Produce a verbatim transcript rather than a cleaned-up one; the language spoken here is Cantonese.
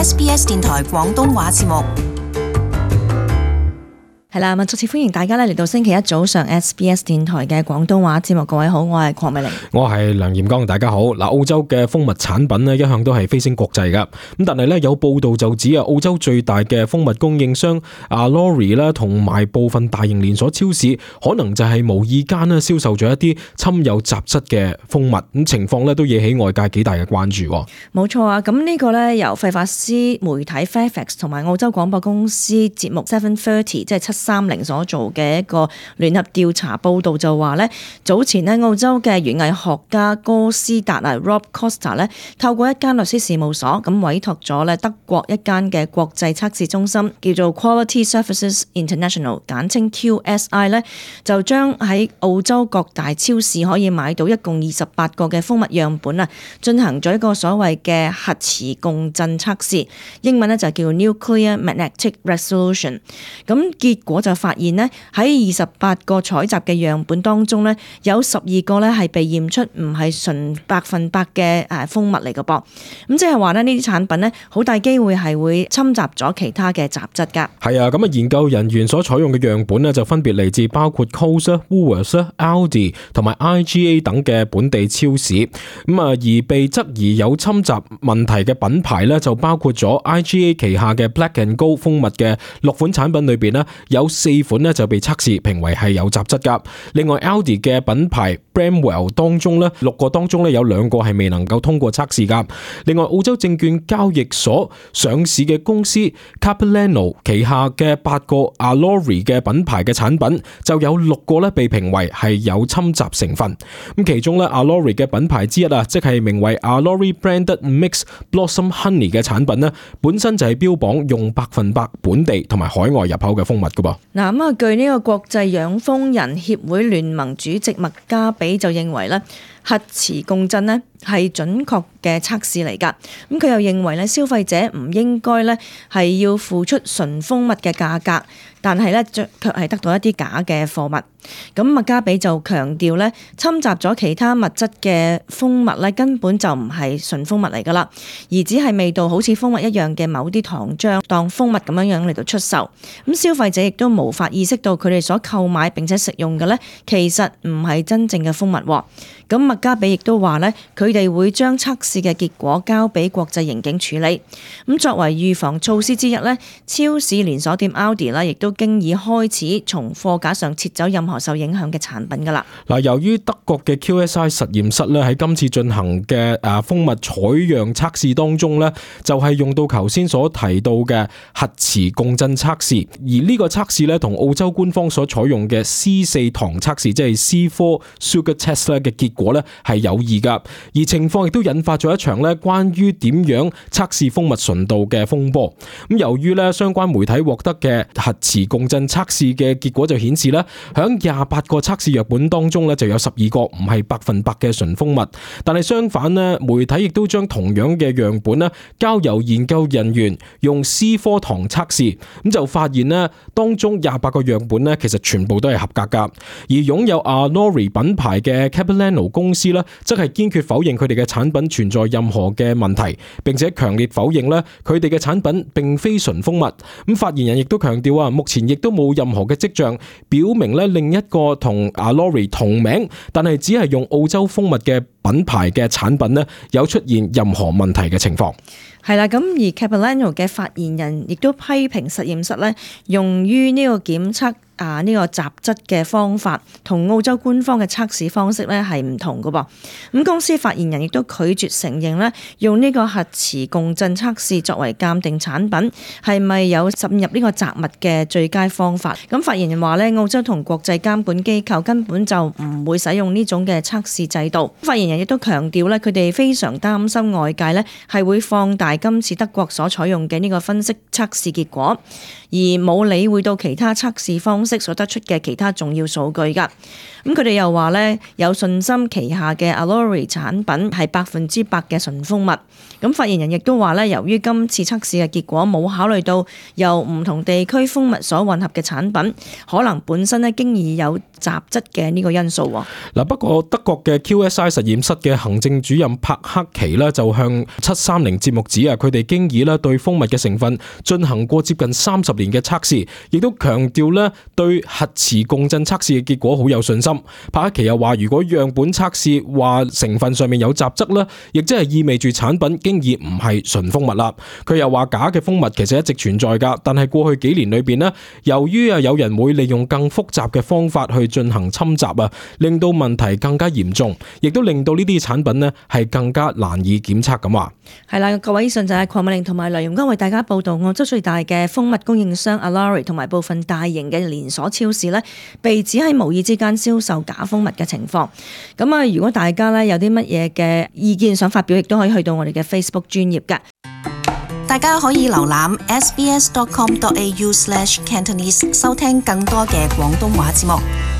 S B S 電台廣東話節目。係啦，咁再次歡迎大家咧嚟到星期一早上 S B S 電台嘅廣東話節目。各位好，我係鄺美玲，我係梁炎剛，大家好。嗱，澳洲嘅蜂蜜產品咧一向都係飛升國際噶，咁但係咧有報道就指啊，澳洲最大嘅蜂蜜供應商 Alori 啦，同埋部分大型連鎖超市，可能就係無意間咧銷售咗一啲摻有雜質嘅蜂蜜，咁情況咧都惹起外界幾大嘅關注。冇錯啊，咁呢個咧由費法斯媒體 Fairfax 同埋澳洲廣播公司節目七三零，即係七三零所做嘅一個聯合調查報道就話咧，早前咧澳洲嘅園藝學家哥斯達啊 Rob Costa 咧，透過一間律師事務所咁委託咗咧德國一間嘅國際測試中心叫做 Quality Services International， 簡稱 Q S I 咧，就將喺澳洲各大超市可以買到一共二十八個嘅蜂蜜樣本啊，進行咗一個所謂嘅核磁共振測試，英文咧就叫 Nuclear Magnetic Resolution。咁結果就發現呢，喺二十八個採集嘅樣本當中呢，有十二個呢係被驗出唔係純百分百嘅誒蜂蜜嚟嘅噃。咁即係話呢，呢啲產品呢，好大機會係會侵襲咗其他嘅雜質㗎。係啊，咁啊研究人員所採用嘅樣本呢，就分別嚟自包括 Coles、Woolworths、Aldi 同埋 I G A 等嘅本地超市。咁啊而被質疑有侵襲問題嘅品牌呢，就包括咗 I G A 旗下嘅 Black and Gold 蜂蜜嘅六款產品裏邊呢，有四款呢就被測試評為係有雜質噶。另外 Aldi 嘅品牌 Bramwell 當中呢，六個當中呢有兩個係未能夠通過測試噶。另外澳洲證券交易所上市嘅公司 Capilano 旗下嘅八個 Alori 嘅品牌嘅產品就有六個呢被評為係有侵襲成分。咁其中呢 Alori 嘅品牌之一啊，即係名為 Alori Branded Mix Blossom Honey 嘅產品呢，本身就係標榜用百分百本地同埋海外入口嘅蜂蜜噶噃。嗱咁啊，據呢個國際養蜂人協會聯盟主席麥加比就認為咧，核磁共振咧係準確嘅測試嚟㗎。咁佢又認為咧，消費者唔應該咧係要付出純蜂蜜嘅價格，但係咧卻係得到一啲假嘅貨物。咁麥加比就強調咧，侵襲咗其他物質嘅蜂蜜咧根本就唔係純蜂蜜嚟㗎啦，而只係味道好似蜂蜜一樣嘅某啲糖漿當蜂蜜咁樣樣嚟到出售。咁消費者亦都無法意識到佢哋所購買並且食用嘅咧，其實唔係真正嘅蜂蜜。咁麥加比亦都話咧，佢哋會將測試嘅結果交俾國際刑警處理。咁作為預防措施之一咧，超市連鎖店 Aldi 啦，亦都經已開始從貨架上撤走任何受影響嘅產品㗎啦。嗱，由於德國嘅 Q S I 實驗室咧喺今次進行嘅誒蜂蜜採樣測試當中咧，就係用到頭先所提到嘅核磁共振測試，而呢個測試咧同澳洲官方所採用嘅 C 四糖測試，即係 C 四 Sugar Test 咧嘅結果咧係有異噶，而情況亦都引發咗一場咧關於點樣測試蜂蜜純度嘅風波。咁由於咧相關媒體獲得嘅核磁共振測試嘅結果就顯示咧，響廿八個測試樣本當中咧就有十二個唔係百分百嘅純蜂蜜，但係相反咧，媒體亦都將同樣嘅樣本咧交由研究人員用 C 四糖測試，咁就發現咧當中廿八個樣本咧其實全部都係合格噶，而擁有 Alori 品牌嘅 Capilano 公司咧，則係堅決否認佢哋嘅產品存在任何嘅問題，並且強烈否認咧佢哋嘅產品並非純蜂蜜。咁發言人亦都強調啊，目前亦都冇任何嘅跡象表明咧另一個同 Alori 同名，但係只係用澳洲蜂蜜嘅品牌嘅產品咧有出現任何問題嘅情況。係啦，咁而 Capilano 嘅發言人亦都批評實驗室咧用於呢個檢測啊呢個雜質嘅方法同澳洲官方嘅測試方式咧係唔同㗎噃。咁公司發言人亦都拒絕承認咧用呢個核磁共振測試作為鑑定產品係咪有滲入呢個雜物嘅最佳方法。咁發言人話咧，澳洲同國際監管機構根本就唔會使用呢種嘅測試制度。發言人亦都強調咧，佢哋非常擔心外界咧係會放大今次德國所採用嘅呢個分析測試結果，而冇理會到其他測試方式析所得出嘅其他重要數據㗎。咁佢哋又話咧有信心旗下嘅 Alori 產品係百分之百嘅純蜂蜜。咁發言人亦都話咧，由於今次測試嘅結果冇考慮到由唔同地區蜂蜜所混合嘅產品，可能本身咧經已有雜質嘅呢個因素。嗱，不過德國嘅 Q S I 實驗室嘅行政主任柏克奇呢，就向七三零節目指啊，佢哋經已咧對蜂蜜嘅成分進行過接近三十年嘅測試，亦都強調咧對核磁共振測試嘅結果好有信心。柏克奇又話，如果樣本測試話成分上面有雜質咧，亦即係意味住產品經已唔係純蜂蜜啦。佢又話假嘅蜂蜜其實一直存在噶，但係過去幾年裏邊呢，由於啊有人會利用更複雜嘅方法去進行侵襲啊，令到問題更加嚴重，亦都令到呢啲產品呢係更加難以檢測咁話。係啦，各位以上就係鄺美玲同埋梁容剛為大家報道澳洲最大嘅蜂蜜供應商 Alori 同埋部分大型嘅連鎖超市呢，被指喺無意之間銷售假蜂蜜嘅情況。咁啊，如果大家呢有啲乜嘢嘅意見想發表，亦都可以去到我哋嘅 Facebook 專頁㗎。大家可以瀏覽 s b s dot com dot a u slash cantonese 收聽更多嘅廣東話節目。